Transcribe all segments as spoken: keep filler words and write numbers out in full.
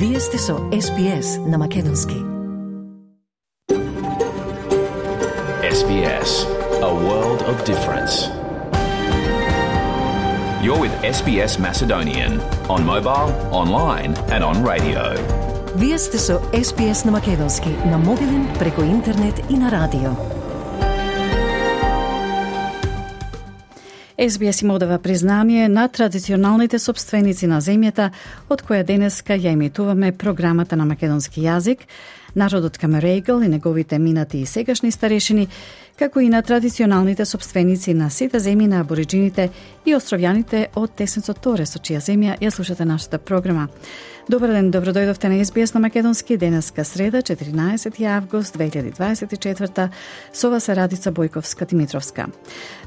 Вие сте со Ес Би Ес на Македонски. Ес Би Ес, a world of difference. You're with Ес Би Ес Macedonian on mobile, online and on radio. Вие сте со Ес Би Ес на Македонски, на мобилен, преку интернет и на радио. Ес Би Ес им одава признание на традиционалните собственици на земјата, од која денеска ја емитуваме програмата на македонски јазик, народот Камерегл и неговите минати и сегашни старешини, како и на традиционалните собственици на сите земји на абориджините и островјаните од Теснецот Торе, со чија земја ја слушате нашата програма. Добар ден, добродојдовте на Ес Би Ес на Македонски, денеска среда, четиринаесети август две илјади дваесет и четврта, со вас е Радица Бојковска-Димитровска.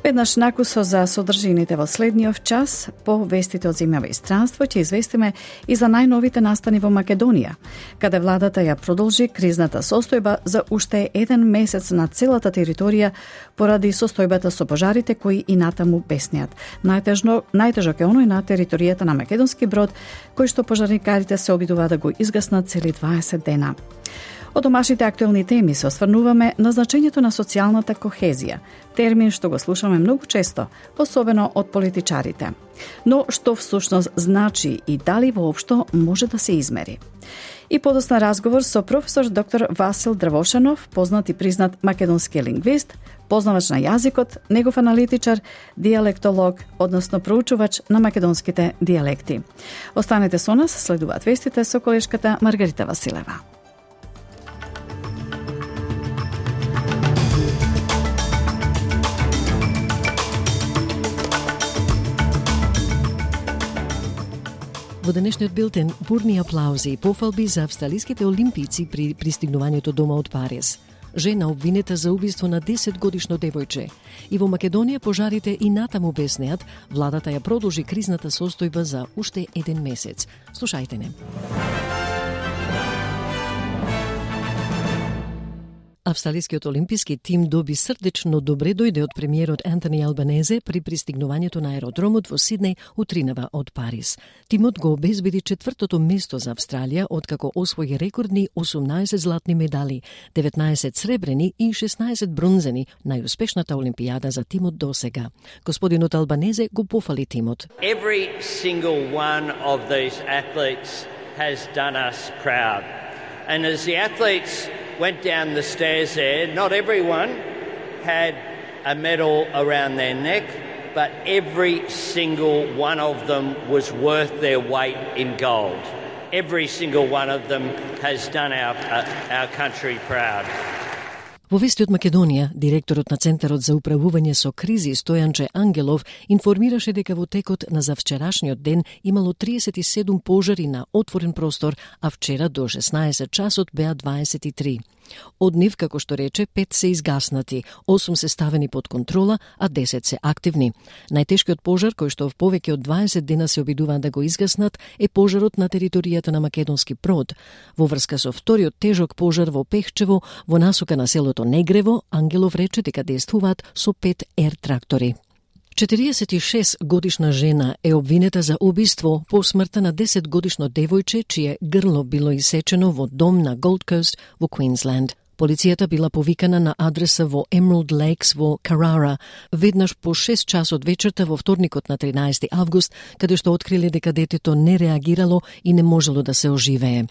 Веднаш накусо за содржините во следниот час, по вестите од земјава и странство, ќе известиме и за најновите настани во Македонија, каде владата ја продолжи кризната состојба за уште еден месец на целата територија поради состојбата со пожарите кои и натаму беснеат. Најтежно, најтежок е оној на територијата на македонски брод, кој што пожарникарите се обидуваат да го изгаснат цели дваесет дена. Од домашните актуелни теми се осврнуваме на значењето на социјалната кохезија, термин што го слушаме многу често, особено од политичарите. Но што всушност значи и дали воопшто може да се измери? И подосна разговор со професор доктор Васил Дравошанов, познат и признат македонски лингвист, познавач на јазикот, негов аналитичар, диалектолог, односно проучувач на македонските диалекти. Останете со нас, следуваат вестите со колешката Маргарита Василева. Во денешниот билтен бурни аплаузи и пофалби за австралиските олимпици при пристигнувањето дома од Париз. Жена обвинета за убиство на десет годишно девојче. И во Македонија пожарите и натаму беснеат, владата ја продолжи кризната состојба за уште еден месец. Слушајте не. Австралискиот олимписки тим доби срдечно добре дојде од премиерот Антони Албанезе при пристигнувањето на аеродромот во Сиднеј утринава од Париз. Тимот го обезбеди четвртото место за Австралија, откако освои рекордни осумнаесет златни медали, деветнаесет сребрени и шеснаесет бронзени, најуспешната олимпијада за тимот досега. Господинот Албанезе го пофали тимот. Every single one of these athletes has done us proud. And as the athletes went down the stairs there, not everyone had a medal around their neck, but every single one of them was worth their weight in gold. Every single one of them has done our, uh, our country proud. Во вести од Македонија, директорот на Центарот за управување со кризи Стојанче Ангелов информираше дека во текот на завчерашниот ден имало триесет и седум пожари на отворен простор, а вчера до шеснаесет часот беа дваесет и три. Од нив, како што рече, пет се изгаснати, осум се ставени под контрола, а десет се активни. Најтешкиот пожар, кој што в повеќе од дваесет дена се обидуваат да го изгаснат, е пожарот на територијата на македонски брод. Во врска со вториот тежок пожар во Пехчево, во насока на селото Негрево, Ангелов рече дека действуваат со пет ер трактори. четириесет и шест годишна жена е обвинета за убиство по смртта на десет годишно девојче, чие грло било исечено во дом на Голд Кост во Квинсленд. Полицијата била повикана на адреса во Емералд Лейкс во Карара, веднаш по шест часот вечерта во вторникот на тринаесети август, каде што откриле дека детето не реагирало и не можело да се оживее.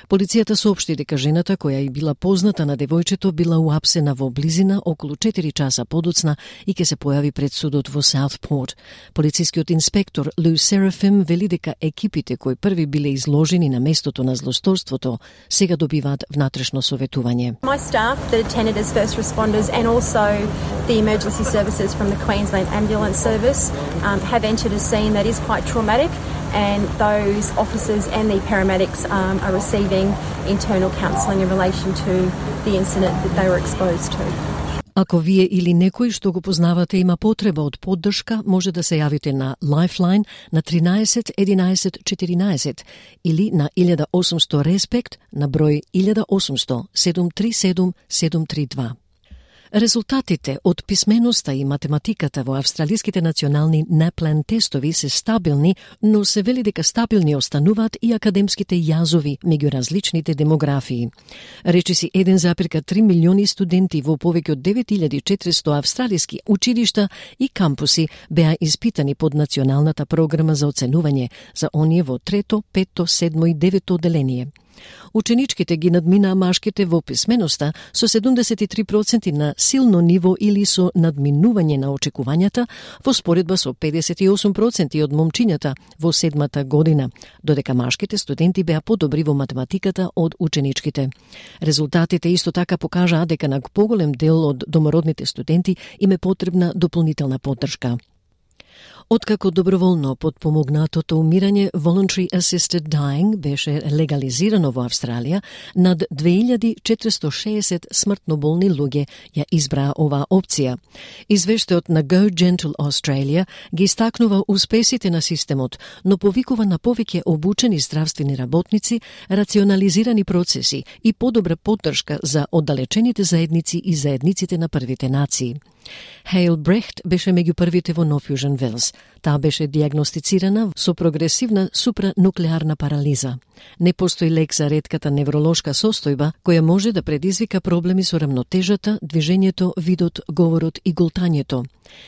Полицијата соопшти дека жената, која и била позната на девојчето, била уапсена во близина околу четири часа подоцна и ќе се појави пред судот во Саутпорт. Полицискиот инспектор Лу Серафим вели дека екипите кои први биле изложени на местото на злосторството сега добиваат внатрешно советување. My staff that attended as first responders and also the emergency services from the Queensland Ambulance Service um, have entered a scene that is quite traumatic, and those officers and the paramedics um, are receiving internal counselling in relation to the incident that they were exposed to. Ако вие или некој што го познавате има потреба од поддршка, може да се јавите на Lifeline на тринаесет единаесет четиринаесет или на илјада и осумсто Респект на број илјада и осумсто седум три седум седум три два. Резултатите од писменоста и математиката во австралиските национални NAPLAN тестови се стабилни, но се вели дека стабилни остануваат и академските јазови меѓу различните демографии. Речиси еден запирка три милиони студенти во повеќе од девет илјади и четиристо австралиски училишта и кампуси беа испитани под националната програма за оценување за оние во трето, петто, седмо и девето оделение. Ученичките ги надминаа машките во писменоста со седумдесет и три проценти на силно ниво или со надминување на очекувањата, во споредба со педесет и осум проценти од момчињата во седмата година, додека машките студенти беа подобри во математиката од ученичките. Резултатите исто така покажаа дека на поголем дел од домородните студенти им е потребна дополнителна поддршка. Откако доброволно подпомогнатото умирање Voluntary Assisted Dying беше легализирано во Австралија, над две илјади четиристо шеесет смртно болни луѓе ја избраа оваа опција. Извештајот на Go Gentle Australia ги истакнува успесите на системот, но повикува на повеќе обучени здравствени работници, рационализирани процеси и подобра поддршка за оддалечените заедници и заедниците на првите нации. Хейл Брехт беше меѓу првите во Нов Јужен Велс. Таа беше диагностицирана со прогресивна супрануклеарна парализа. Не постои лек за ретката невролошка состојба која може да предизвика проблеми со рамнотежата, движењето, видот, говорот и голтањето.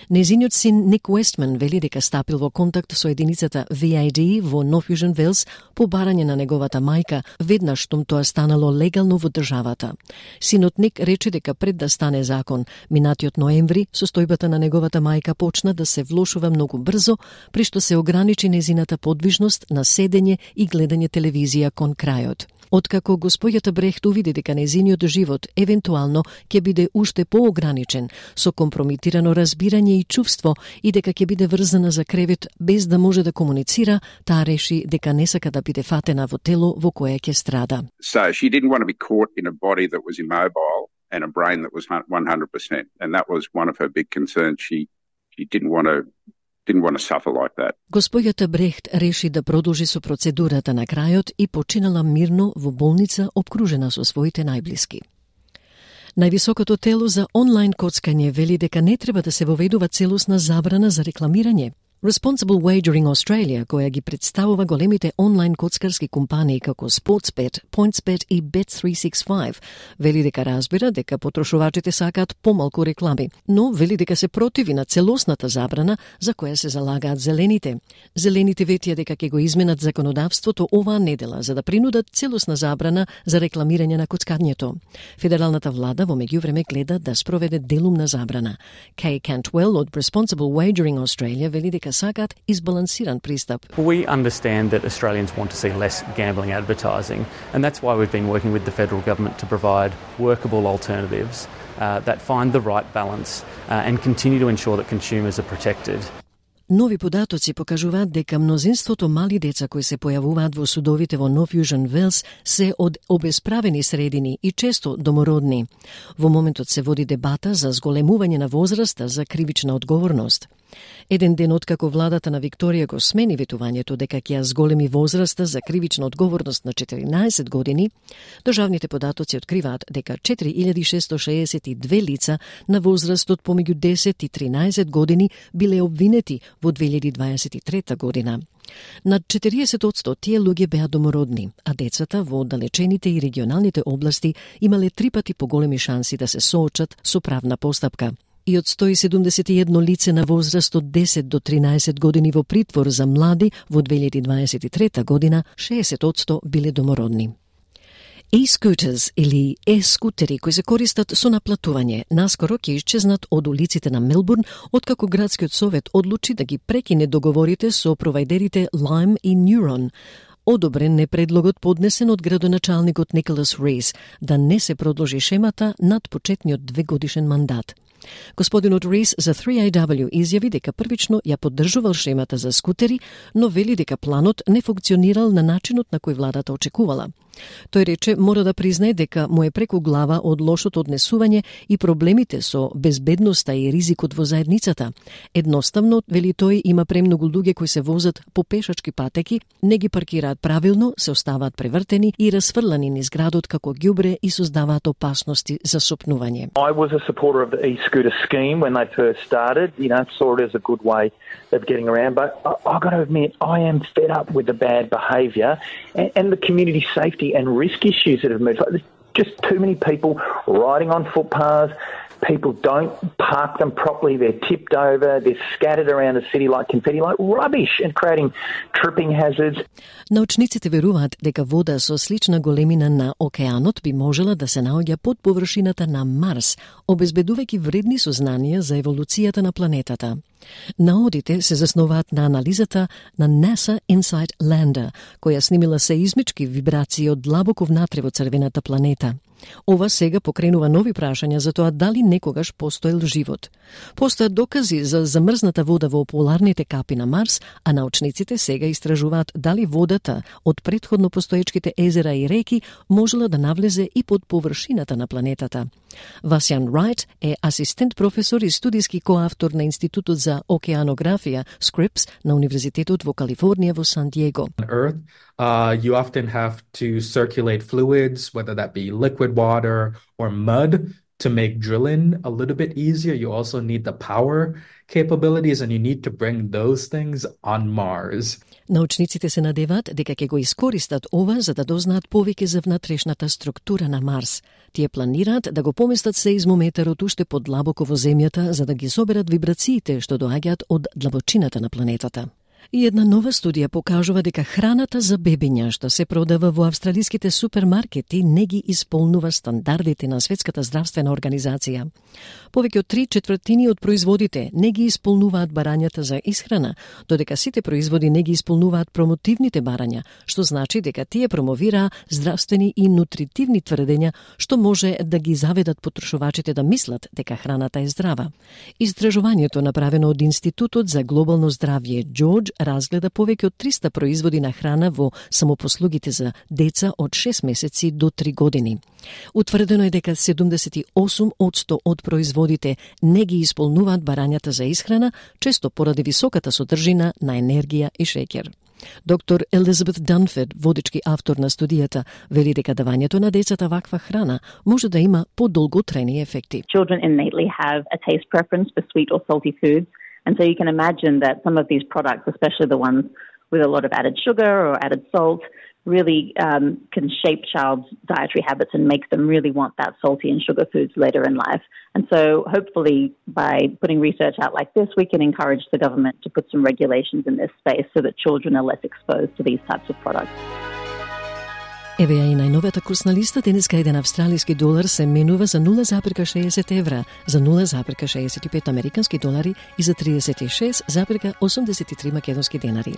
Незиниот син Ник Уестман вели дека стапил во контакт со единицата V A D во Нов Јужен Велс по барање на неговата мајка, веднаш штом тоа станало легално во државата. Синот Ник рече дека пред да стане закон, минатиот ноември, состојбата на неговата мајка почна да се влошува многу брзо, при што се ограничи незината подвижност на седење и гледање телевизија кон крајот. Откако госпојата Брехт увиди дека незиниот живот евентуално ќе биде уште поограничен, со компромитирано разбирање и чувство и дека ќе биде врзана за кревет без да може да комуницира, таа реши дека не сака да биде фатена во тело во кое ќе страда. So she didn't want to be caught in a body that was immobile and a brain that was one hundred percent. And that was one of her big concerns. She she didn't want to didn't want to suffer like that. Госпојата Брехт реши да продолжи со процедурата на крајот и починала мирно во болница обкружена со своите најблиски. Највисокото тело за онлайн коцкање вели дека не треба да се воведува целосна забрана за рекламирање. Responsible Wagering Australia, која ги представува големите онлайн коцкарски компании како Sportsbet, PointsBet и Bet триста шестдесет и пет, вели дека разбира дека потрошувачите сакаат помалку реклами, но вели дека се противи на целосната забрана за која се залагаат зелените. Зелените ветија дека ќе го изменат законодавството оваа недела за да принудат целосна забрана за рекламирање на коцкањето. Федералната влада во меѓувреме гледа да спроведе делумна забрана. Kay Cantwell од Responsible Wagering Australia вели дека сакаат избалансиран пристап. We understand that Australians want to see less gambling advertising, and that's why we've been working with the federal government to provide workable alternatives uh, that find the right balance uh, and continue to ensure that consumers are protected. Нови податоци покажуваат дека мнозинството мали деца кои се појавуваат во судовите во Нов Јужен Велс се од обесправени средини и често домородни. Во моментот се води дебата за зголемување на возраста за кривична одговорност. Еден ден откако владата на Викторија го смени ветувањето дека ќе ја зголеми возраста за кривична одговорност на четиринаесет години, државните податоци откриваат дека четири илјади шестоста шеесет и две лица на возрастот помеѓу десет и тринаесет години биле обвинети во две илјади дваесет и трета година. Над четириесет одсто тие луѓе беа домородни, а децата во оддалечените и регионалните области имале три пати поголеми шанси да се соочат со правна постапка. И од сто и седумдесет и едно лице на возраст од десет до тринаесет години во притвор за млади во две илјади дваесет и трета година, шеесет одсто биле домородни. E-scooters или e-скутери кои се користат со наплатување наскоро ќе исчезнат од улиците на Мелбурн откако градскиот совет одлучи да ги прекине договорите со провајдерите Lime и Neuron. Одобрен е предлогот поднесен од градоначалникот Николас Рейс да не се продолжи шемата над почетниот двегодишен мандат. Господинот Рис за три ей дабл ю изјави дека првично ја поддржувал шемата за скутери, но вели дека планот не функционирал на начинот на кој владата очекувала. Тој рече мора да признае дека му е преку глава од лошото однесување и проблемите со безбедноста и ризикот во заедницата. Едноставно, вели тој, има премногу луѓе кои се возат по пешачки патеки, не ги паркираат правилно, се оставаат превртени и расфрлани низ градот како ѓубре и создаваат опасности за сопнување. I was a supporter of the e-scooter scheme when they first started, you know, saw it as a good way of getting around, but I, I got to admit, I am fed up with the bad behaviour and, and the community safety and risk issues that have moved. Like, there's just too many people riding on footpaths. People don't park them properly. They're tipped over. They're scattered around the city like confetti, like rubbish, and creating tripping hazards. Научниците веруваат дека вода со слична големина на океанот би можела да се наоѓа под површината на Марс, обезбедувајќи вредни сознанија за еволуцијата на планетата. Наодите се заснуваат на анализата на NASA Insight Lander, која снимила сеизмички вибрации од длабоко внатре во црвената планета. Ова сега покренува нови прашања за тоа дали некогаш постоел живот. Постојат докази за замрзната вода во поларните капи на Марс, а научниците сега истражуваат дали водата од претходно постоечките езера и реки можела да навлезе и под површината на планетата. Васјан Рајт е асистент професор и студиски коавтор на Институтот за океанографија Scripps на Универзитетот во Калифорнија во Сан Диего. On Earth, uh, you often have to circulate fluids, whether that be liquid water or mud, to make drilling a little bit easier. You also need the power capabilities and you need to bring those things on Mars. Научниците се надеваат дека ќе го искористат ова за да дознаат повеќе за внатрешната структура на Марс. Тие планираат да го поместат сеизмометарот уште подлабоко во земјата за да ги соберат вибрациите што доаѓаат од длабочината на планетата. И една нова студија покажува дека храната за бебиња што се продава во австралиските супермаркети не ги исполнува стандардите на Светската здравствена организација. Повеќе од три четвртини од производите не ги исполнуваат барањата за исхрана, додека сите производи не ги исполнуваат промотивните барања, што значи дека тие промовираа здравствени и нутритивни тврдења што може да ги заведат потрошувачите да мислат дека храната е здрава. Истражувањето направено од Институтот за глобално здравје Джордж разгледа повеќе од триста производи на храна во самопослугите за деца од шест месеци до три години. Утврдено е дека седумдесет и осум одсто од производите не ги исполнуваат барањата за исхрана, често поради високата содржина на енергија и шеќер. Доктор Елизабет Данфорд, водички автор на студијата, вели дека давањето на децата ваква храна може да има подолготрени ефекти. Children innately have a taste preference for sweet or salty foods. And so you can imagine that some of these products, especially the ones with a lot of added sugar or added salt, really um, can shape child's dietary habits and make them really want that salty and sugar foods later in life. And so hopefully by putting research out like this, we can encourage the government to put some regulations in this space so that children are less exposed to these types of products. Еве ја и најновата курсна листа. Денеска еден австралиски долар се менува за нула запирка шеесет евра, за нула запирка шеесет и пет американски долари и за триесет и шест запирка осумдесет и три македонски денари.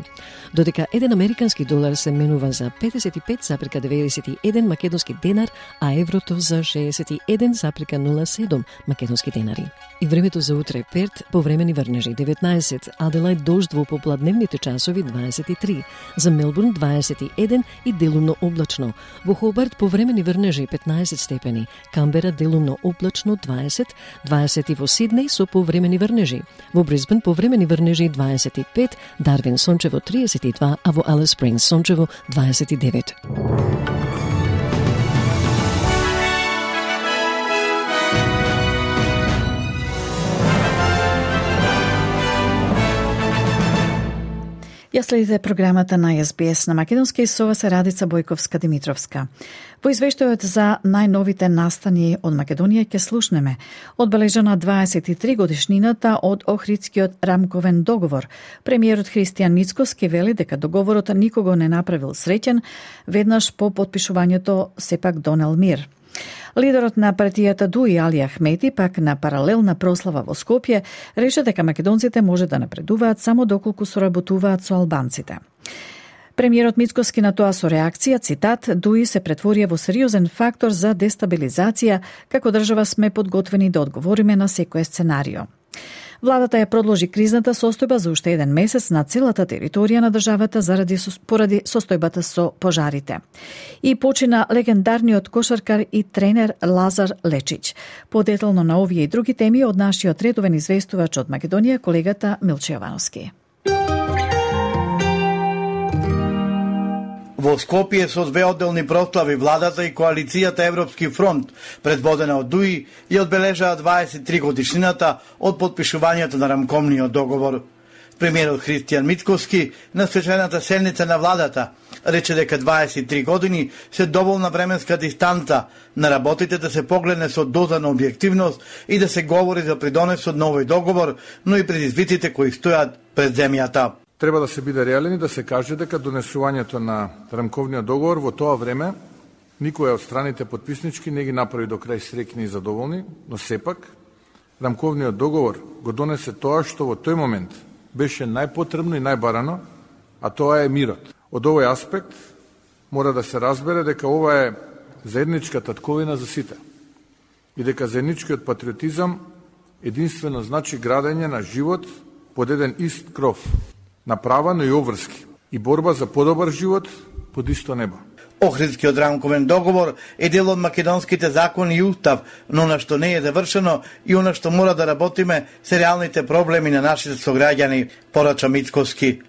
Додека еден американски долар се менува за петдесет и пет запирка деветдесет и еден македонски денар, а еврото за шеесет и еден запирка нула седум македонски денари. И времето за утре: Перт повремени врнежи деветнаесет, Аделајд дожд во попладневните часови дваесет и три, за Мелбурн дваесет и еден и делумно облачно. Во Хобарт повремени врнежи петнаесет степени, Камбера делумно облачно дваесет, дваесет и во Сиднеј со повремени врнежи. Во Брисбен повремени врнежи дваесет и пет, Дарвин сончево триесет и два, а во Алис Спрингс сончево дваесет и девет. Ја следите програмата на Ес Би Ес на македонски и со вас е Радица Бојковска-Димитровска. Во извештајот за најновите настани од Македонија ќе слушнеме одбележана дваесет и три годишнината од Охридскиот рамковен договор. Премиерот Христијан Мицкоски вели дека договорот никого не направил среќен, веднаш по потпишувањето сепак донел мир. Лидерот на партијата Дуи Али Ахмети пак на паралелна прослава во Скопје рече дека македонците може да напредуваат само доколку соработуваат со албанците. Премиерот Мицкоски на тоа со реакција, цитат, Дуи се претворија во сериозен фактор за дестабилизација, како држава сме подготвени да одговориме на секое сценарио. Владата ја продолжи кризната состојба за уште еден месец на целата територија на државата заради поради состојбата со пожарите. И почина легендарниот кошаркар и тренер Лазар Лечич. Подетално на овие и други теми од нашиот редовен известувач од Македонија, колегата Милче Јовановски. Во Скопје со две одделни прослави владата и коалицијата Европски фронт, предводена од Дуи, ја одбележаа дваесет и три годишнината од потпишувањето на рамковниот договор. Премиерот Христијан Мицкоски на свечената седница на владата рече дека дваесет и три години се доволна временска дистанца на работите да се погледне со доза на објективност и да се говори за придонесот на овој договор, но и предизвиците кои стојат пред земјата. Треба да се биде реален и да се каже дека донесувањето на рамковниот договор во тоа време никоја од страните потписнички не ги направи до крај среќни и задоволни, но сепак рамковниот договор го донесе тоа што во тој момент беше најпотребно и најбарано, а тоа е мирот. Од овој аспект мора да се разбере дека ова е заедничка татковина за сите и дека заедничкиот патриотизам единствено значи градење на живот под еден ист кров, на права, но и обврски, и борба за подобар живот под исто небо. Охридскиот рамковен договор е дел од македонските закони и устав, но на што не е завршено и она што мора да работиме се реалните проблеми на нашите сограѓани, порача Мицкоски.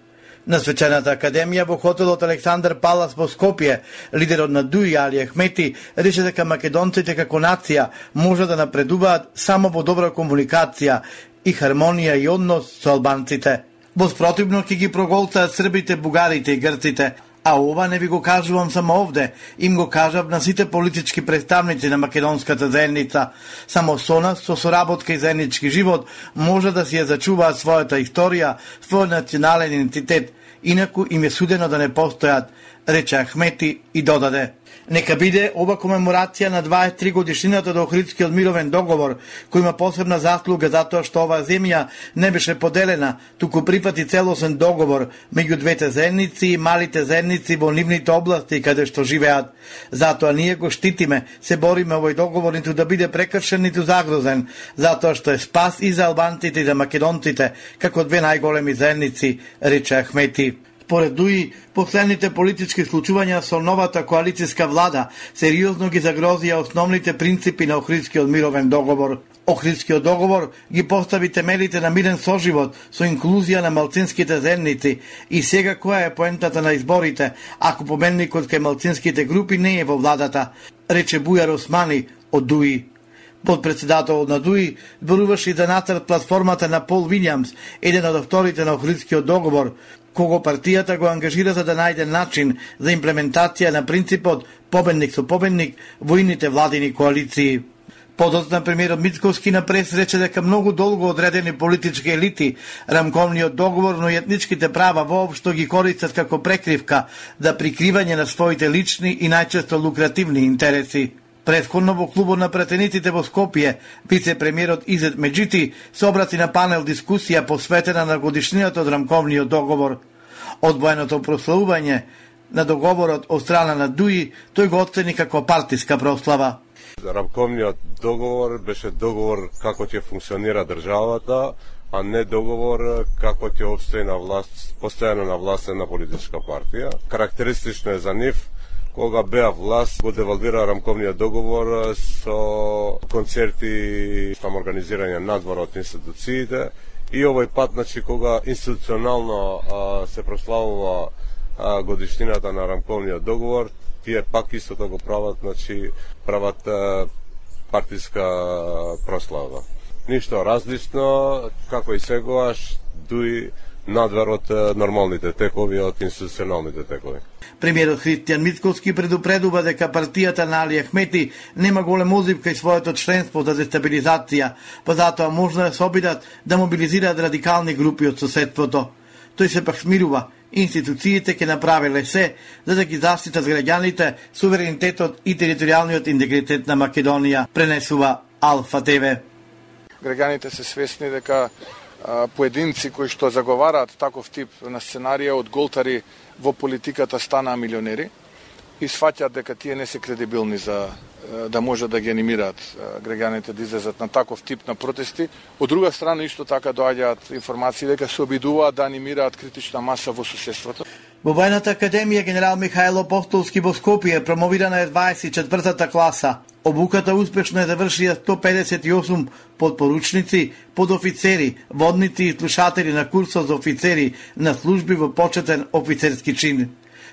На свечената академија во хотелот Александар Палас во Скопје, лидерот на Дуи Али Ахмети рече дека македонците како нација може да напредуваат само во добра комуникација и хармонија и однос со албанците. Во спротивно ќе ги проголцаат србите, бугарите и грците. А ова не ви го кажувам само овде, им го кажав на сите политички представници на македонската заедница. Само со нас, со соработка и заеднички живот, може да си ја зачуваат својата историја, својот национален идентитет. Инаку им е судено да не постојат, рече Ахмети и додаде. Нека биде ова комеморација на дваесет и три годишнината до Охридскиот мировен договор, кој има посебна заслуга затоа што оваа земја не беше поделена, туку прифати целосен договор меѓу двете заедници и малите заедници во нивните области каде што живеат. Затоа ние го штитиме, се бориме овој договор ниту да биде прекршен, ниту загрозен, затоа што е спас и за албанците и за македонците, како две најголеми заедници, рече Ахмети. Според Дуи, последните политички случувања со новата коалицијска влада сериозно ги загрозија основните принципи на Охридскиот мировен договор. Охридскиот договор ги постави темелите на мирен соживот со инклузија на малцинските заедници и сега која е поентата на изборите, ако победникот кај малцинските групи не е во владата, рече Бујар Османи од Дуи. Подпредседателот на Дуи зборуваше и за нацрт платформата на Пол Вилјамс, еден од авторите на Охридскиот договор, кого партијата го ангажира за да најде начин за имплементација на принципот победник со победник во ините владини коалиции. Подоцна премиерот Мицкоски на прес рече дека многу долго одредени политички елити рамковниот договор, но и етничките права воопшто ги користат како прекривка за прикривање на своите лични и најчесто лукративни интереси. Предходно во клубот на пратениците во Скопје, вице-премиерот Изет Меджити се обрати на панел дискусија посветена на годишнината од рамковниот договор. Одвоеното прославување на договорот од страна на Дуи, тој го оцени како партиска прослава. Рамковниот договор беше договор како ќе функционира државата, а не договор како ќе опстои на власт, постојано на власт една политичка партија. Карактеристично е за нив кога беа власт, го девалвира рамковниот договор со концерти, самоорганизирање надвор од институциите и овој пат, значи, кога институционално а, се прославува а, годишнината на рамковниот договор, тие пак истото го прават, значи, прават а, партиска прослава. Ништо различно, како и сегоаш, Дуи надвор од нормалните текови, од институционалните текови. Премиерот Христијан Мицкоски предупредува дека партијата на Али Ахмети нема голем узив кај своето членство за дестабилизација, па затоа можно да се обидат да мобилизираат радикални групи од соседството. Тој се пак смирува, институциите ќе направиле се за да ги заштитат граѓаните, суверенитетот и територијалниот интегритет на Македонија, пренесува Алфа ТВ. Граѓаните се свесни дека поединци кои што заговараат таков тип на сценарија од голтари во политиката станаа милионери и сфаќаат дека тие не се кредибилни за да може да ги анимираат граѓаните да излезат на таков тип на протести. Од друга страна исто така доаѓаат информации дека се обидуваат да анимираат критична маса во суседството. Во Војната академија генерал Михајло Апостолски во Скопје промовирана е дваесет и четвртата класа. Обуката успешно е завршија сто педесет и осум подпоручници, подофицери, водници и слушатели на курсот за офицери на служби во почетен офицерски чин.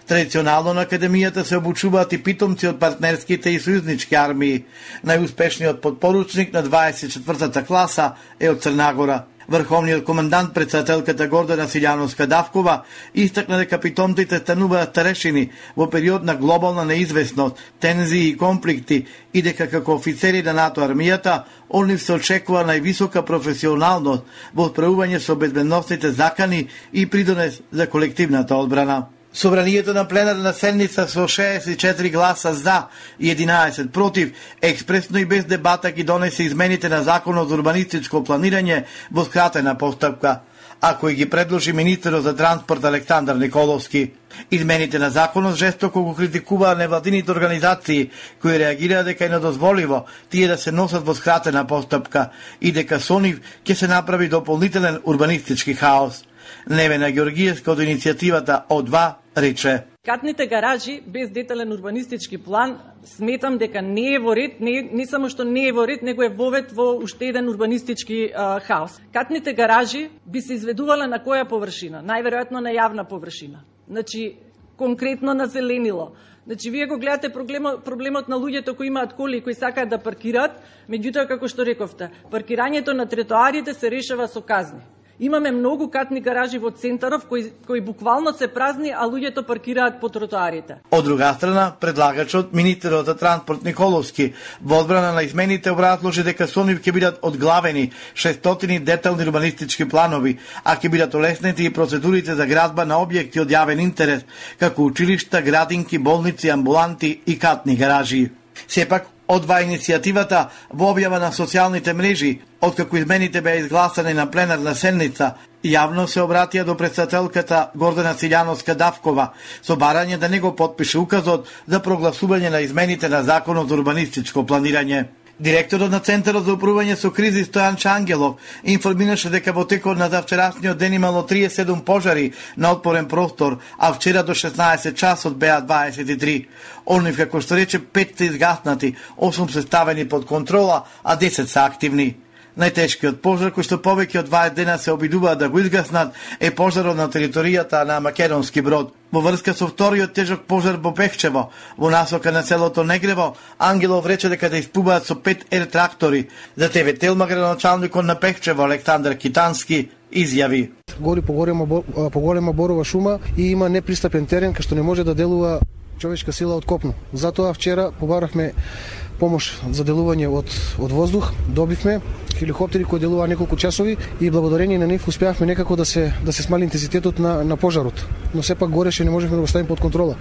Традиционално на академијата се обучуваат и питомци од партнерските и сојузнички армии. Најуспешниот подпоручник на дваесет и четвртата класа е од Црнагора. Врховниот командант председателката Гордана Силјановска-Давкова истакна дека питомците стануваат старешини во период на глобална неизвестност, тензии и конфликти и дека како офицери на НАТО армијата од нив се очекува највисока професионалност во справување со безбедносните закани и придонес за колективната одбрана. Собранието на пленарна седница со шеесет и четири гласа за и единаесет против експресно и без дебата ги донесе измените на Законот за урбанистичко планирање во скратена постапка, а кои ги предложи министерот за транспорт Александар Николовски. Измените на законот жестоко го критикуваа невладините организации кои реагираа дека е недозволиво тие да се носат во скратена постапка и дека со нив ќе се направи дополнителен урбанистички хаос. Невена Ѓоргиевска од иницијативата О два рече: Катните гаражи без детален урбанистички план сметам дека не е во ред, не, не само што не е во ред, него е вовет во уште еден урбанистички а, хаос. Катните гаражи би се изведувале на која површина? Најверојатно на јавна површина. Значи, конкретно на зеленило. Значи, вие го гледате проблемот, проблемот на луѓето кои имаат коли и кои сакаат да паркираат, меѓутоа, како што рековте, паркирањето на тротоарите се решава со казни. Имаме многу катни гаражи во центаров кои, кои буквално се празни, а луѓето паркираат по тротоарите. Од друга страна, предлагачот, министерот за транспорт Николовски, во одбрана на измените образложи дека со нив ќе бидат одглавени шестстотини детални урбанистички планови, а ќе бидат олеснети и процедурите за градба на објекти од јавен интерес, како училишта, градинки, болници, амбуланти и катни гаражи. Сепак, одва иницијативата во објава на социјалните мрежи, откако измените беа изгласани на пленарна седница, јавно се обратија до председателката Гордана Силјановска-Давкова со барање да не го потпише указот за прогласување на измените на Законот за урбанистичко планирање. Директорот на Центарот за управување со кризи Стојанче Ангелов информираше дека во текот на завчерашниот ден имало триесет и седум пожари на отворен простор, а вчера до шеснаесет часот беа дваесет и три. Онив, како што рече, пет се изгаснати, осум се ставени под контрола, а десет се активни. Најтешкиот пожар, кој што повеќе од дваесет дена се обидуваат да го изгаснат, е пожарот на територијата на Македонски Брод. Во врска со вториот тежок пожар во Пехчево, во насока на селото Негрево, Ангелов рече дека да испубаат со пет ер трактори. За Те Ве Телма градоначалникот на Пехчево Александар Китански изјави: Гори поголема поголема борова шума и има непристапен терен кај што не може да делува човечка сила од копно. Затоа вчера побарахме помош за делување од од воздух, добивме хеликоптери кои делуваа неколку часови и благодарение на нив успеавме некако да се да се смали интензитетот на на пожарот. Но сепак гореше, не можевме да го ставиме под контрола.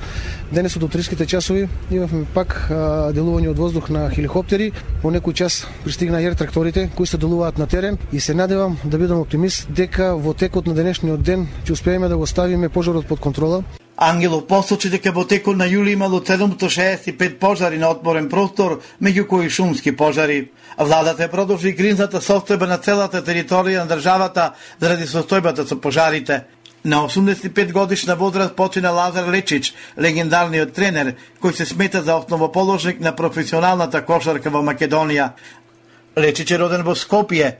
Денес од утринските часови имавме пак а, делување од воздух на хеликоптери, во некој час пристигна ер тракторите кои се делуваат на терен и се надевам да бидам оптимист дека во текот на денешниот ден ќе успееме да го ставиме пожарот под контрола. Ангелов посочи дека во текот на јули имало седумстотини шеесет и пет пожари на отворен простор, меѓу кои шумски пожари. Владата продолжи гринзата состојба на целата територија на државата заради состојбата со пожарите. На осумдесет и пет годишна возраст почина Лазар Лечич, легендарниот тренер, кој се смета за основоположник на професионалната кошарка во Македонија. Лечич е роден во Скопје,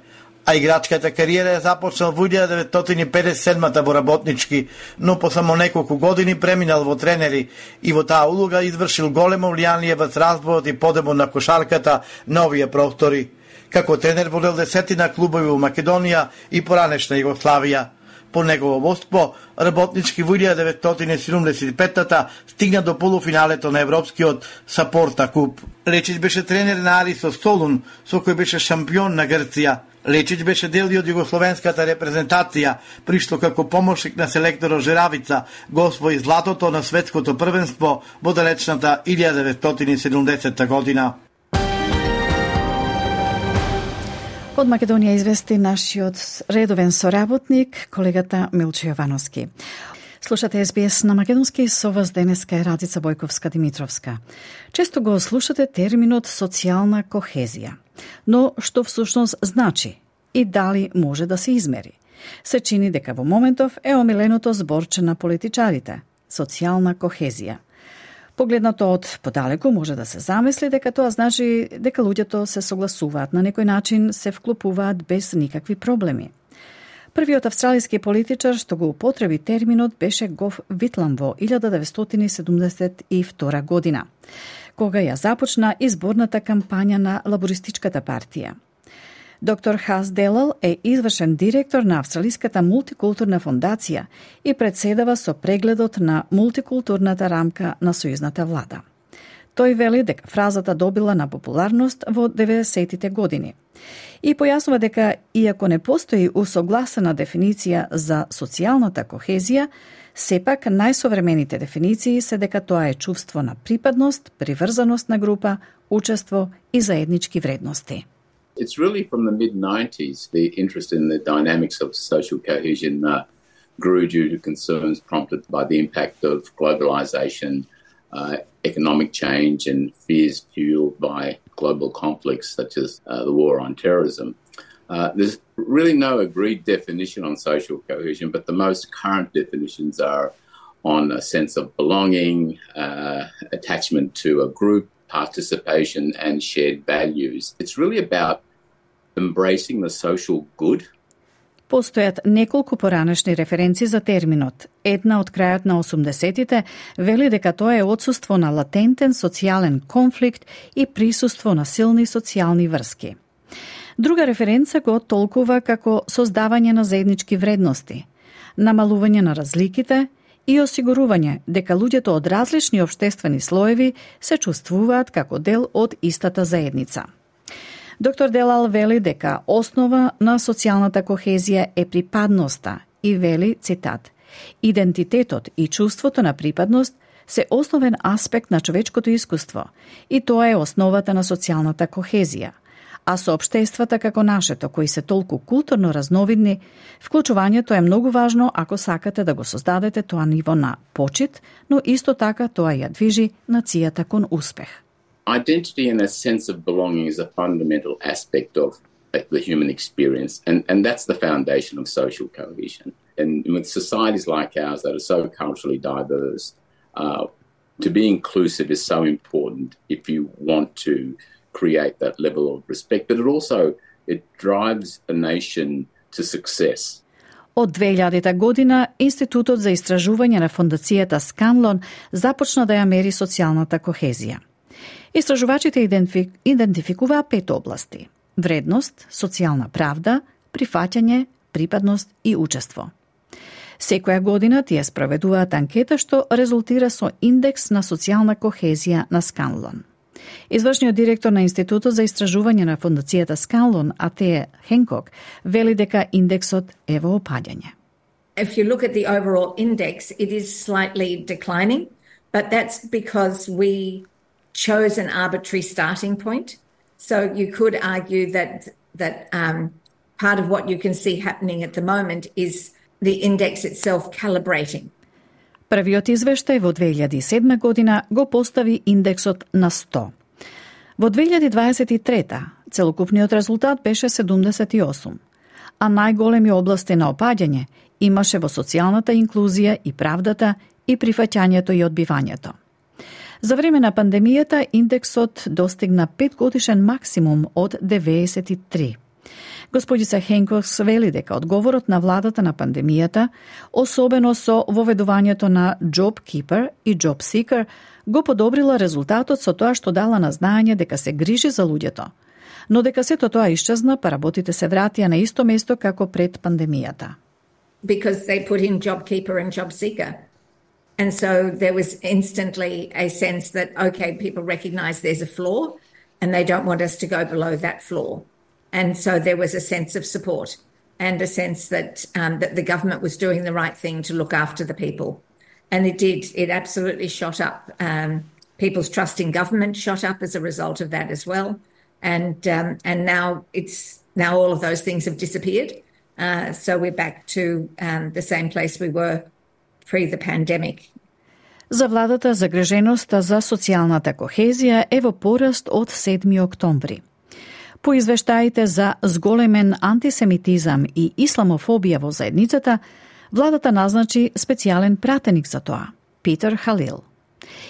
а играчката кариера е започнал во илјада деветстотини педесет и седма во работнички, но по само неколку години преминал во тренери и во таа улога извршил големо влијание во развојот и подемот на кошарката на овие простори. Како тренер водел десетина клубови во Македонија и поранешна Југославија. По негово водство, работнички во илјада деветстотини седумдесет и пета стигна до полуфиналето на Европскиот Сапорта куп. Лечич беше тренер на Арисо Солун, со кој беше шампион на Грција. Лечич беше дел и од југословенската репрезентација, при што како помошник на селекторот Жеравица го освои златото на светското првенство во далечната илјада деветстотини седумдесета година. Од Македонија извести нашиот редовен соработник, колегата Милчо Јовановски. Слушате Ес Би Ес на македонски, со вас денеска е Радица Бојковска-Димитровска. Често го слушате терминот социјална кохезија. Но што всушност значи и дали може да се измери? Се чини дека во моментов е омиленото зборче на политичарите – социјална кохезија. Погледнато од подалеку може да се замисли дека тоа значи дека луѓето се согласуваат на некој начин, се вклопуваат без никакви проблеми. Првиот австралиски политичар што го употреби терминот беше Гов Витлам во илјада деветстотини седумдесет и втора година, кога ја започна изборната кампања на Лабористичката партија. Доктор Хас Делал е извршен директор на Австралиската мултикултурна фондација и председава со прегледот на мултикултурната рамка на сојузната влада. Тој вели дека фразата добила на популарност во деветдесетите години и појаснува дека, иако не постои усогласена дефиниција за социјалната кохезија, сепак најсовремените дефиниции се дека тоа е чувство на припадност, приврзаност на група, учество и заеднички вредности. It's really from the mid nineties, the interest in the dynamics of social cohesion uh, grew due to concerns prompted by the impact of globalization, uh, economic change, and fears fueled by global conflicts such as uh, the war on terrorism. Uh, there's really no agreed definition on social cohesion, but the most current definitions are on a sense of belonging, uh, attachment to a group, participation and shared values. It's really about embracing the social good. Постојат неколку поранешни референции за терминот. Една од крајот на осумдесетите вели дека тоа е отсуство на латентен социјален конфликт и присуство на силни социјални врски. Друга референца го толкува како создавање на заеднички вредности, намалување на разликите и осигурување дека луѓето од различни општествени слоеви се чувствуваат како дел од истата заедница. Доктор Делал вели дека основа на социјалната кохезија е припадноста и вели, цитат, идентитетот и чувството на припадност се основен аспект на човечкото искуство и тоа е основата на социјалната кохезија. А со општествата како нашето, кои се толку културно разновидни, вклучувањето е многу важно ако сакате да го создадете тоа ниво на почит, но исто така тоа ја движи нацијата кон успех. Identity and a sense of belonging is a fundamental aspect of the human experience, and, and that's the foundation of social cohesion. And with societies like ours that are so culturally diverse, uh, to be inclusive is so important if you want to create that level of respect, but it also it drives a nation to success. Од две илјадета година, Институтот за истражување на фондацијата Сканлон започна да ја мери социјалната кохезија. Истражувачите идентифи... идентификуваа пет области: вредност, социјална правда, прифаќање, припадност и учество. Секоја година тие спроведуваат анкета што резултира со индекс на социјална кохезија на Сканлон. Извршниот директор на Институтот за истражување на фондацијата Сканлон, Атеа Хенкок, вели дека индексот е во опаѓање. If you look at the overall index, it is slightly declining, but that's because we chose an arbitrary starting point. So you could argue that that um, part of what you can see happening at the moment is the index itself calibrating. Првиот извештај во две илјади и седма година го постави индексот на сто. Во две илјади дваесет и трета целокупниот резултат беше седумдесет и осум, а најголеми области на опаѓање имаше во социјалната инклузија и правдата и прифаќањето и одбивањето. За време на пандемијата индексот достигна петгодишен максимум од деветдесет и три. Господица Хенкокс вели дека одговорот на владата на пандемијата, особено со воведувањето на Job Keeper и Job Seeker, го подобрила резултатот со тоа што дала на знаење дека се грижи за луѓето, но дека сето тоа исчезна, па работите се вратија на исто место како пред пандемијата. Because they put in Job Keeper and Job Seeker. And so there was instantly a sense that, okay, people recognise there's a flaw and they don't want us to go below that flaw. And so there was a sense of support and a sense that um, that the government was doing the right thing to look after the people. And it did. It absolutely shot up. Um, people's trust in government shot up as a result of that as well. And um, and now it's now all of those things have disappeared. Uh, so we're back to um, the same place we were pre the pandemic. За владата загриженоста за социјалната кохезија е во пораст од седми октомври. По извештаите за зголемен антисемитизам и исламофобија во заедницата, владата назначи специјален пратеник за тоа, Питер Халил.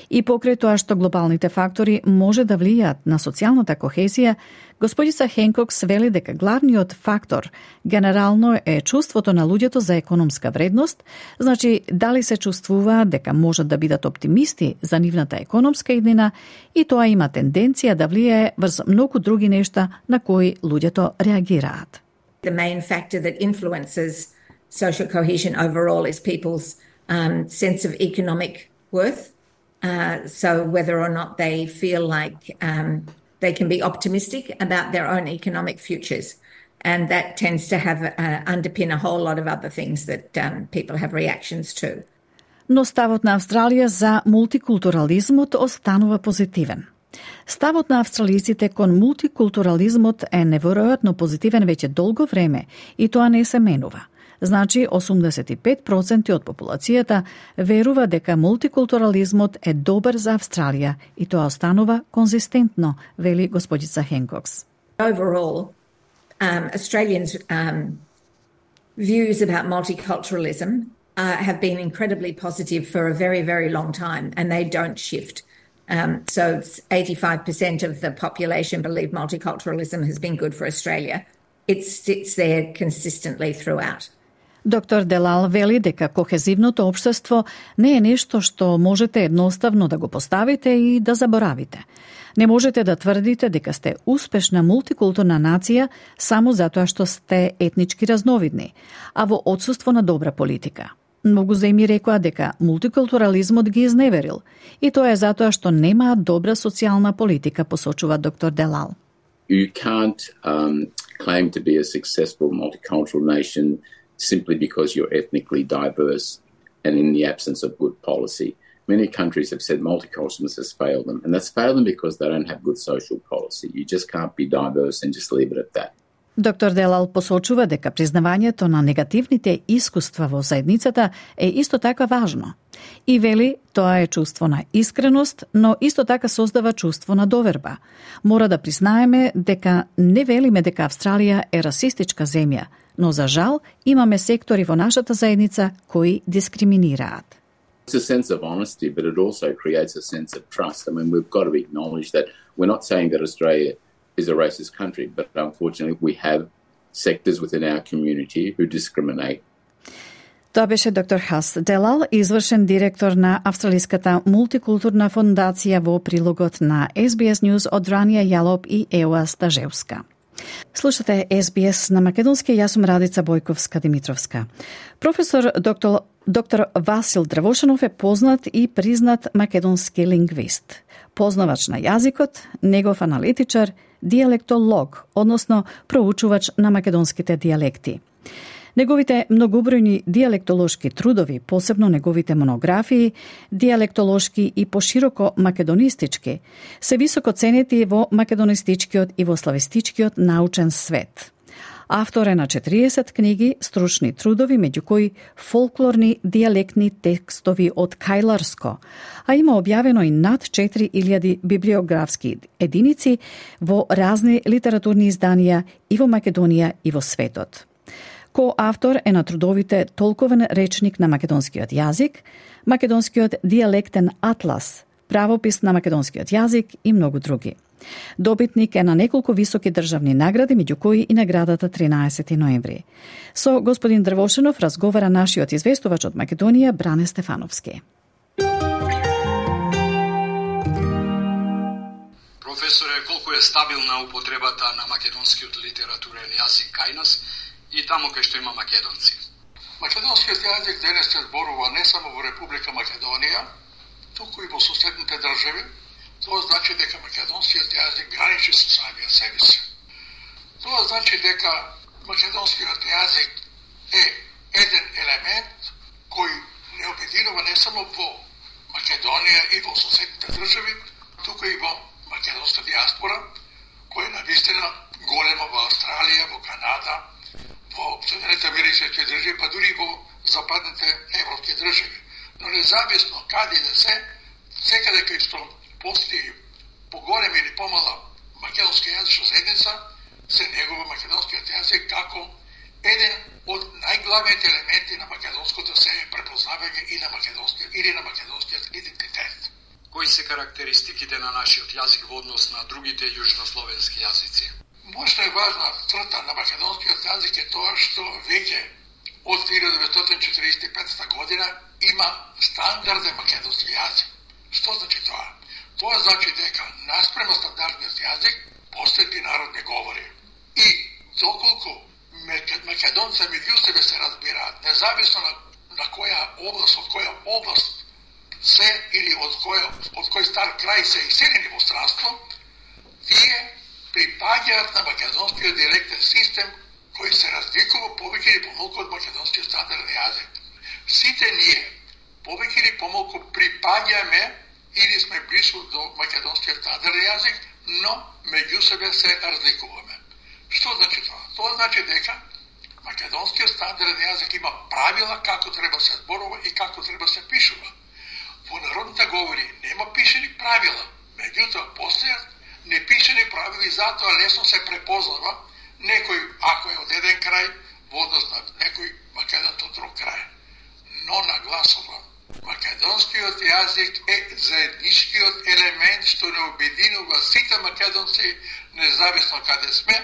И покрај тоа што глобалните фактори може да влијаат на социјалната кохезија, господица Хенкокс вели дека главниот фактор генерално е чувството на луѓето за економска вредност, значи дали се чувствуваат дека можат да бидат оптимисти за нивната економска иднина, и тоа има тенденција да влијае врз многу други нешта на кои луѓето реагираат. The main factor that influences social cohesion overall is people's um, sense of economic worth. Uh, so whether or not they feel like um, they can be optimistic about their own economic futures. And that tends to have uh, underpin a whole lot of other things that um, people have reactions to. Но ставот на Австралија за мултикултурализмот останува позитивен. Ставот на австралиците кон мултикултурализмот е неверојатно позитивен веќе долго време и тоа не се менува. Значи, осумдесет и пет проценти од популацијата верува дека мултикултурализмот е добар за Австралија и тоа останува конзистентно, вели господица Хенкокс. Overall, um, Australians' um, views about multiculturalism uh, have been incredibly positive for a very, very long time, and they don't shift. Um, so eighty-five percent of the population believe multiculturalism has been good for Australia. It sits there consistently throughout. Доктор Делал вели дека кохезивното општество не е нешто што можете едноставно да го поставите и да заборавите. Не можете да тврдите дека сте успешна мултикултурна нација само затоа што сте етнички разновидни, а во отсуство на добра политика. Многу земји рекоа дека мултикултурализмот ги изневерил, и тоа е затоа што немаат добра социјална политика, посочува доктор Делал. You can't um, claim to be a successful multicultural nation simply because you're ethnically diverse and in the absence of good policy. Many countries have said multiculturalism has failed them, and that's failed them because they don't have good social policy. You just can't be diverse and just leave it at that. Доктор Делал посочува дека признавањето на негативните искуства во заедницата е исто така важно. И вели, тоа е чувство на искреност, но исто така создава чувство на доверба. Мора да признаеме дека не велиме дека Австралија е расистичка земја, но за жал имаме сектори во нашата заедница кои дискриминираат. It's a sense of honesty, but it also creates a sense of trust. I mean, we've got to acknowledge that we're not saying that Australia is a racist country, but unfortunately we have sectors within our community who discriminate. Тоа беше доктор Хас Делал, извршен директор на Австралиската мултикултурна фондација, во прилогот на Ес Би Ес News од Ранија Јалоп и Еуа Стажевска. Слушате Ес Би Ес на македонски, јас сум Радица Бојковска-Димитровска. Професор доктор, доктор Васил Дрвошанов е познат и признат македонски лингвист, познавач на јазикот, негов аналитичар, диалектолог, односно проучувач на македонските дијалекти. Неговите многобројни диалектолошки трудови, посебно неговите монографии, диалектолошки и пошироко македонистички, се високо ценети во македонистичкиот и во славистичкиот научен свет. Автор е на четириесет книги, стручни трудови, меѓу кои фолклорни диалектни текстови од Кајларско, а има објавено и над четири илјади библиографски единици во разни литературни изданија и во Македонија и во светот. Коавтор е на трудовите Толковен речник на македонскиот јазик, Македонскиот диалектен атлас, Правопис на македонскиот јазик и многу други. Добитник е на неколку високи државни награди, меѓу кои и наградата тринаесети ноември. Со господин Дрвошанов разговара нашиот известувач од Македонија, Бране Стефановски. Професоре, колку е стабилна употребата на македонскиот литературен јазик кај нас и таму кај што има македонци? Македонскиот јазик денес се зборува не само во Република Македонија, туку и во соседните држави. Тоа значи дека македонскиот јазик граничи со самиот себе си. Тоа значи дека македонскиот јазик е еден елемент кој не обединува не само во Македонија и во соседните држави, туку и во македонска диаспора, која е навистина голема во Австралија, во социјалистички држави, па дури во западните европски држави. Но независно каде да се, секаде кај што постои поголема или помала македонска јазична заедница, се негува македонскиот јазик како еден од најглавните елементи на македонското себе препознавање и на македонскиот или на македонскиот идентитет. Кои се карактеристиките на нашиот јазик во однос на другите јужнословенски јазици? Мощна и важна црта на македонскиот јазик е тоа што веќе од илјада деветстотини четиридесет и пета година има стандарден македонски јазик. Што значи тоа? Тоа значи дека наспрема стандардниот јазик постојат и народни говори. И доколку македонци меѓу себе се разбираат, независно на, на која област, од која област се или од кој, од кој стар крај се иселени во странство, тие припаѓаат на македонскиот диалектен систем кој се разликува повеќе или помалку од македонскиот стандарден јазик. Сите ние повеќе или помалку припаѓаме или сме близо до македонскиот стандарден јазик, но меѓу себе се разликуваме. Што значи тоа? Тоа значи дека македонскиот стандарден јазик има правила како треба се зборува и како треба се пишува. Во народните говори нема пишени правила, меѓутоа постојат непишени правила и затоа лесно се препознава некој, ако е од еден крај, во однос на некој македонец од друг крај. Но нагласувам, македонскиот јазик е заедничкиот елемент што не обединува сите македонци, независно каде сме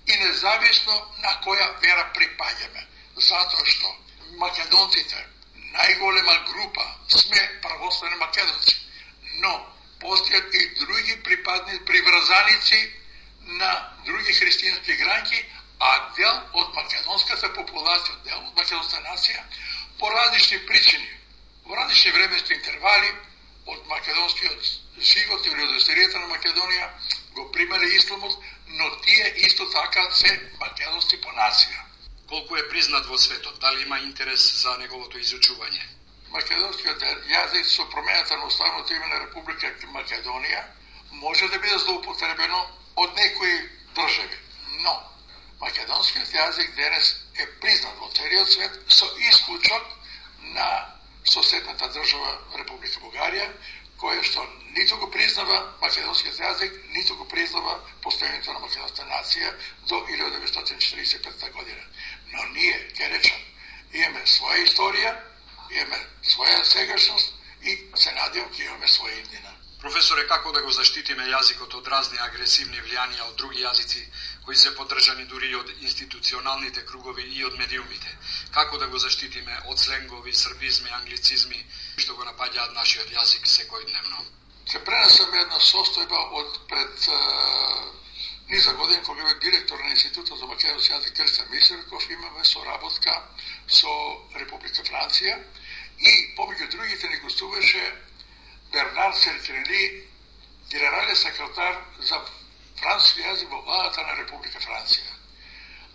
и независно на која вера припаѓаме. Затоа што македонците, најголема група, сме православни македонци, но постојат и други припадни приврзаници на други христијански грањки, а дел од македонската популација, дел од македонската нација, по различни причини, во различни временски интервали од македонскиот живот или од историјата на Македонија го примале исламот, но тие исто така се македонски по нација. Колку е признат во светот? Дали има интерес за неговото изучување? Македонскиот јазик со промената на уставното име на Република Македонија може да биде злоупотребено од некои држави, но македонскиот јазик денес е признат во целиот свет со исклучок на соседната држава Република Бугарија, која што ниту го признава македонскиот јазик, ниту го признава постојањето на македонската нација до илјада деветстотини четиридесет и пета година. Но ние, ќе речам, имаме своја историја, имаме своја сегашност и се надевам ќе имаме своја иднина. Професоре, како да го заштитиме јазикот од разни агресивни влијанија од други јазици кои се поддржани дури и од институционалните кругови и од медиумите? Како да го заштитиме од сленгови, србизми, англицизми што го напаѓаат нашиот јазик секојдневно? Се пренесам една состојба од пред е, низа години кога бев директор на Институтот за македонски јазик Крстјан Мисерков, имаме соработка со Република Франција и помеѓу другите ни гостуваше Бернар Серкрели, генерален секретар за француски јазик во владата на Република Франција.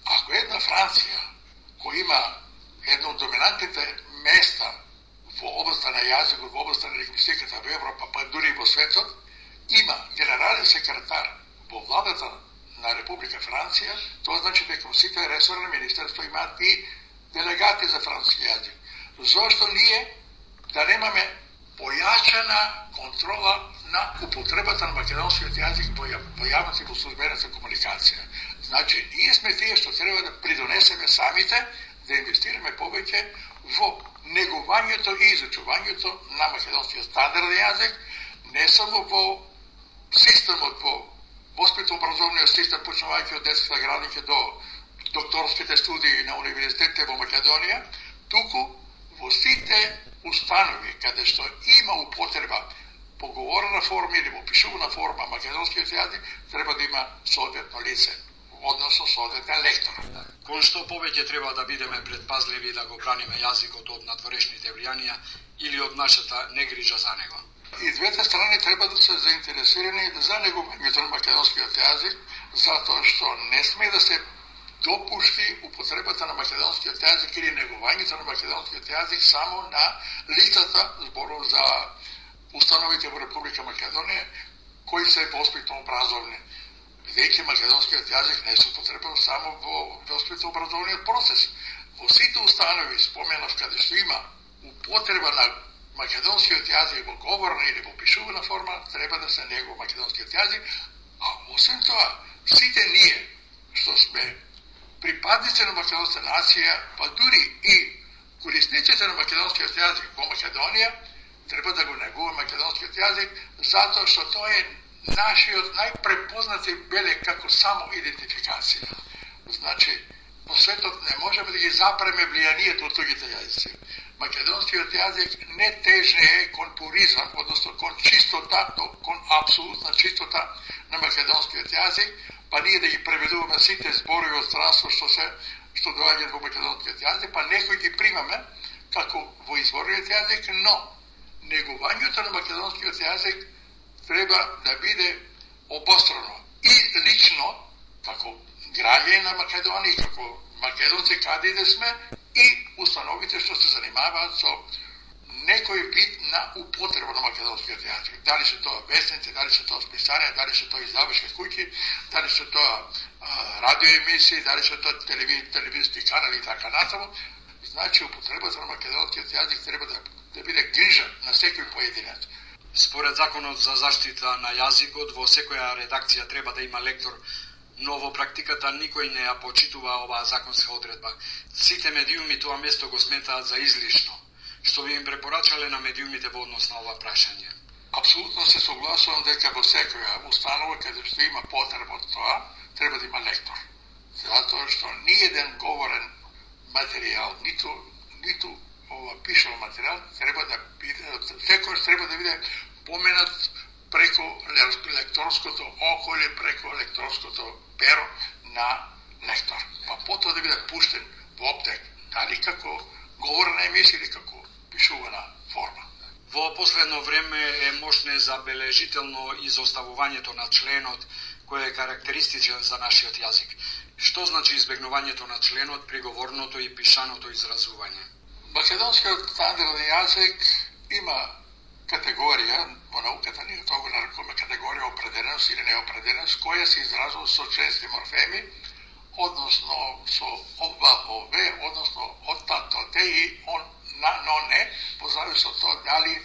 Ако една Франција, која има едно од доминантните места во областа на јазикот, во областа на лингвистиката во Европа, па дури и во светот, има генерален секретар во владата на Република Франција, тоа значи дека сите ресорни министерства имаат и делегати за француски јазик. Зошто ние да немаме појачена контрола на употребата на македонскиот јазик во јавната и во службената комуникација? Значи, ние сме тие што треба да придонесеме самите да инвестираме повеќе во негувањето и изучувањето на македонскиот стандарден јазик, не само во системот, во воспитно-образовниот систем, почнувајќи од детските градинки до докторските студии на универзитетите во Македонија, туку во сите установи каде што има употреба по говорена форма или во пишувана форма македонскиот јазик, треба да има соодветно лице, односно соодветен лектор. Кон што повеќе треба да бидеме предпазливи да го браниме јазикот од надворешните влијанија или од нашата негрижа за него? И двете страни треба да се заинтересирани за негувањето на македонскиот јазик, затоа што не сме да се допушти употребата на македонскиот јазик или негувањето на македонскиот јазик само на лицата, зборов за установите во Република Македонија, кои се воспитно образовни. Веќе македонскиот јазик не се употребува само во воспитно образовниот процес. Во сите установи споменав каде што има употреба на македонскиот јазик во говорна или во пишувана форма, треба да се негува македонскиот јазик, а освен тоа, сите ние што сме припадници на македонска нација, па дури и корисниците на македонскиот јазик во Македонија, треба да го негува македонскиот јазик, затоа што тоа е нашиот најпрепознати белег како само идентификација. Значи, по светот не можеме да ги запреме влијанието од другите јазици. Македонскиот јазик не тежне е кон пуризам, односно кон чистота, кон апсолутна чистота на македонскиот јазик, па ние да ги преведуваме сите зборови од странство што се што доаѓаат во македонскиот јазик, па некои ги примаме како во изворниот јазик, но негувањето на македонскиот јазик треба да биде обострано. И лично, како граѓани на Македонија, како македонци каде да сме, и установите што се занимаваат со некој вид на употреба на македонскиот јазик. Дали се тоа вестници, дали се тоа списанија, дали се тоа издавачки куќи, дали се тоа радиоемисии, дали се тоа телевизиски канали и така натаму. Значи, употребата на македонскиот јазик треба да, да биде грижа на секој поединец. Според Законот за заштита на јазикот, во секоја редакција треба да има лектор, но во практиката никој не ја почитува оваа законска одредба. Сите медиуми тоа место го сметаат за излишно. Што би им препорачале на медиумите во однос на ова прашање? Апсолутно се согласувам дека во секоја установа каде што има потреба од тоа, треба да има лектор. Затоа што ниеден говорен материјал, ниту, ниту ова пишан материјал, треба да биде, секојаш треба да биде поменат преку лекторското око или преку лекторското перо на лектор. Па потоа да биде пуштен во аптек, дали како говорна емисија или како пишувана форма. Во последно време е можне забележително изоставувањето на членот кој е карактеристичен за нашиот јазик. Што значи избегнувањето на членот при говорното и пишаното изразување? Македонскиот стандарден јазик има категорија, во науката ние тоа го нарекуваме категорија определеност или неопределеност, која се изразува со членски морфеми, односно со оба, ове, односно од тато, те и он, на, но не, по завис од тоа дали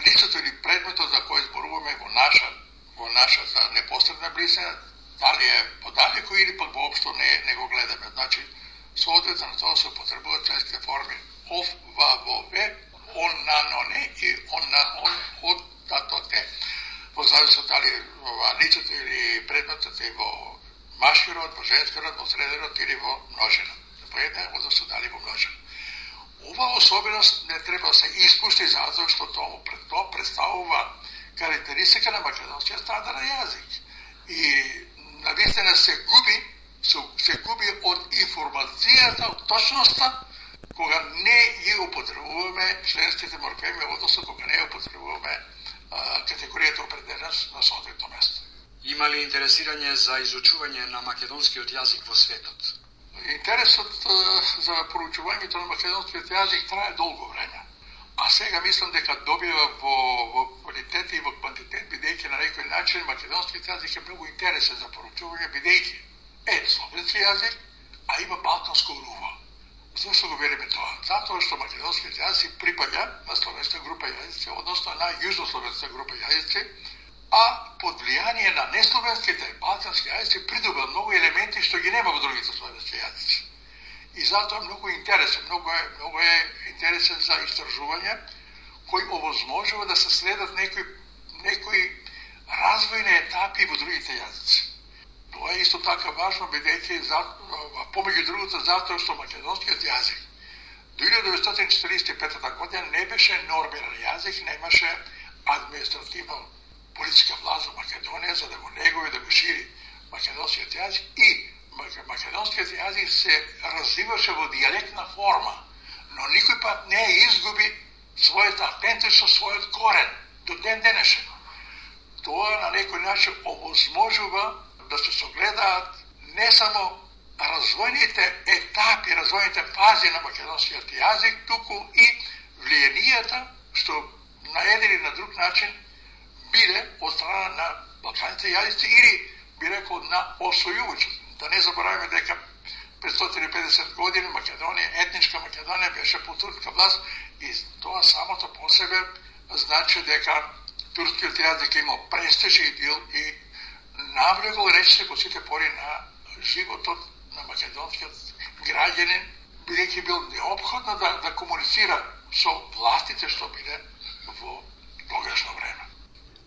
лицето или предметот за кој зборуваме во наша, во нашата непосредна близина, дали е подалеку или пак воопшто не, не го гледаме. Значи, соодветно на тоа се потребуваат членските форми ов, ва, во, ве, он, на, но не и он, на, он, од тато, те. Во завис од дали ова, лицето или предметот е во машки род, во женски род, во среден род или во множина. Во една, односно дали во множина. Ова особеност не треба да се испушти затоа што тоа пред тоа представува карактеристика на македонскиот стандарден јазик. И навистина се губи, се, се губи од информацијата, од точноста, кога не ги употребуваме членските морфеми, односно кога не употребуваме а, категоријата определеност на соодветно место. Има ли интересирање за изучување на македонскиот јазик во светот? Интересот а, за проучувањето на македонскиот јазик трае долго време. А сега мислам дека добива во, во квалитет и во квантитет, бидејќи на некој начин македонскиот јазик е многу интересен за проучување, бидејќи е словенски јазик, а има балтанско руво. Зошто го велиме тоа? Затоа што македонскиот јазик припаѓа на словенска група јазици, односно на јужнословенска група јазици, а под влијание на несловенските балтански јазици придоба многу елементи што ги нема во другите словенски јазици. И затоа многу интересен, многу е, многу е интересен за истражување, кој овозможува да се следат некои, некои развојни етапи во другите јазици. Тоа е исто така важно, бидејќи помеѓу другото затоа што македонскиот јазик до илјада деветстотини четиридесет и пета година не беше нормиран јазик, немаше административно политичка власт во Македонија за да го негува и да го шири македонскиот јазик и македонскиот јазик се развиваше во дијалектна форма, но никој пат не изгуби својата автентичност, својот корен до ден денешен. Тоа на некој начин овозможува да се согледаат не само развојните етапи, развојните фази на македонскиот јазик, туку и влијанијата што на еден или на друг начин биде од страна на балканите јазици или би рекол на освојувачите. Да не забораваме дека петстотини и педесет години Македонија, етничка Македонија беше под турска власт и тоа самото по себе значи дека турскиот јазик имал престиж и дил и навлегол речиси во сите пори на животот на македонскиот граѓанин, бидејќи бил неопходно да, да комуницира со властите што биле во тогашно време.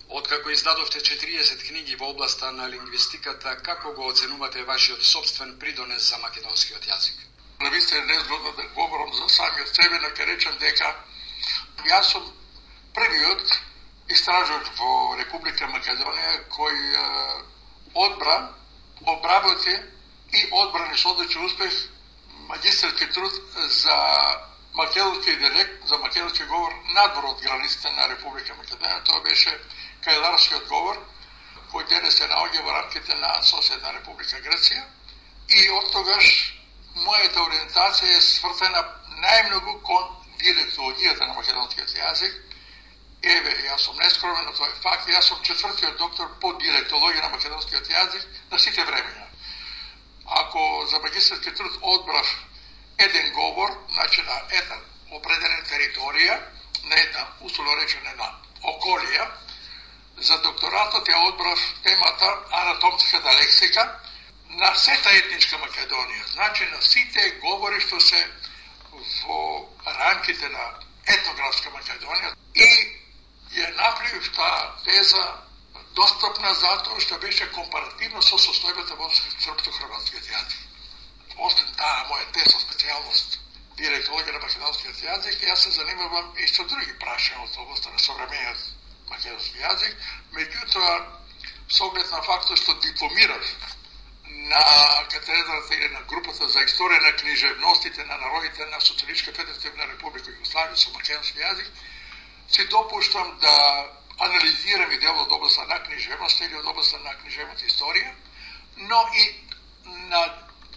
Откако издадовте четириесет книги во областа на лингвистиката, како го оценувате вашиот собствен придонес за македонскиот јазик? Навистина не е згодно да говорам за самиот себе, но ќе речам дека јас сум првиот истражувач во Република Македонија кој е, одбра, обработи и одбрани со одличен успех магистарски труд за македонски диалект, за македонски говор надвор од границите на Република Македонија. Тоа беше кајларскиот говор, кој денес се наоѓа во рамките на соседна Република Грција. И од тогаш мојата ориентација е свртена најмногу кон диалектологијата на македонскиот јазик. Еве, јас сум нескромен, но тоа е факт. Јас сум четвртиот доктор по диалектологија на македонскиот јазик на сите времења. Ако за магистарски труд одбрав еден говор, значи на една определена територија, на една, условно речено, една околија, за докторатот ја одбрав темата анатомската лексика на сета етничка Македонија, значи на сите говори што се во рамките на етнографска Македонија и ја направив таа теза достапна затоа што беше компаративно со состојбата во српско-хрватскиот јазик. Освен таа моја теза специјалност диалектологија на македонскиот јазик, јас се занимавам и со други прашања од областа на современиот македонски јазик, меѓутоа со оглед на фактот што дипломирав на катедрата или на групата за историја на книжевностите на народите на Социјалистичка федеративна република Југославија со македонски јазик, си допуштам да анализирам и дел од областа на книжевност или од областа на книжевната историја, но и на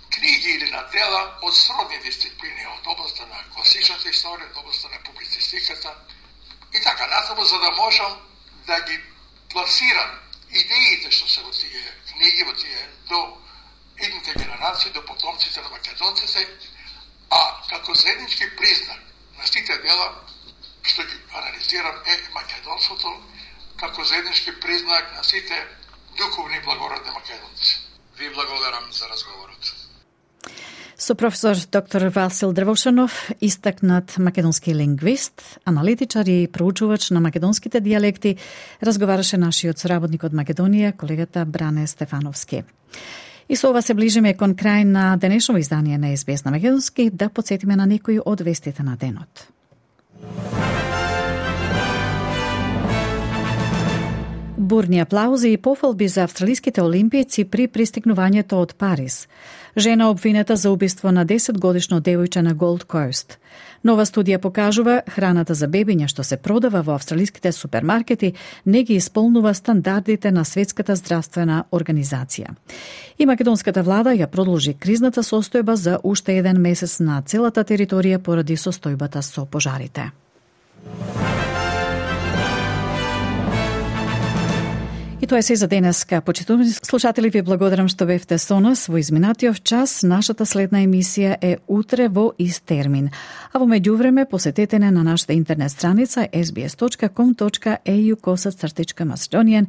книги или на дела од сродни дисциплини, од областа на класичната историја, од областа на публицистиката и така натаму, за да можам да ги пласирам идеите што се во тие книги, во тие до идните генерации, до потомците на македонците, а како заеднички признак на сите дела што ги анализирам е македонството како заеднички признак на сите духовни благородни македонци. Ви благодарам за разговорот. Со професор доктор Васил Дрвошанов, истакнат македонски лингвист, аналитичар и проучувач на македонските дијалекти, разговараше нашиот соработник од Македонија, колегата Бране Стефановски. И со ова се ближиме кон крај на денешно издание на Ес Би Ес на македонски, да потсетиме на некои од вестите на денот. Бурни аплаузи и пофалби за австралиските олимпијци при пристигнувањето од Париз. Жена обвинета за убиство на десетгодишно девојче на Голд Кост. Нова студија покажува храната за бебиња што се продава во австралиските супермаркети не ги исполнува стандардите на Светската здравствена организација. И македонската влада ја продолжи кризната состојба за уште еден месец на целата територија поради состојбата со пожарите. И тоа е се за денеска. Почитувани слушатели, ви благодарам што бевте со нас во изминатиот час. Нашата следна емисија е утре во ист термин. А во меѓувреме посетете не на нашата интернет страница ес би ес точка ком точка е ю косацртичка Macedonian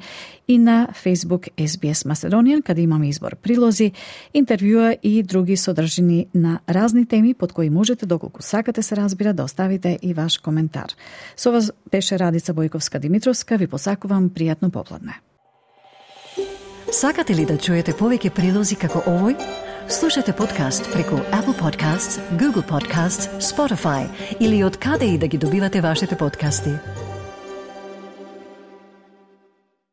и на Facebook Ес Би Ес Macedonian, каде имаме избор прилози, интервјуа и други содржини на разни теми под кои можете, доколку сакате се разбира, да оставите и ваш коментар. Со вас беше Радица Бојковска-Димитровска. Ви посакувам пријатно попладне. Сакате ли да чуете повеќе прилози како овој? Слушате подкаст преку Apple Podcasts, Google Podcasts, Spotify или од каде и да ги добивате вашите подкасти.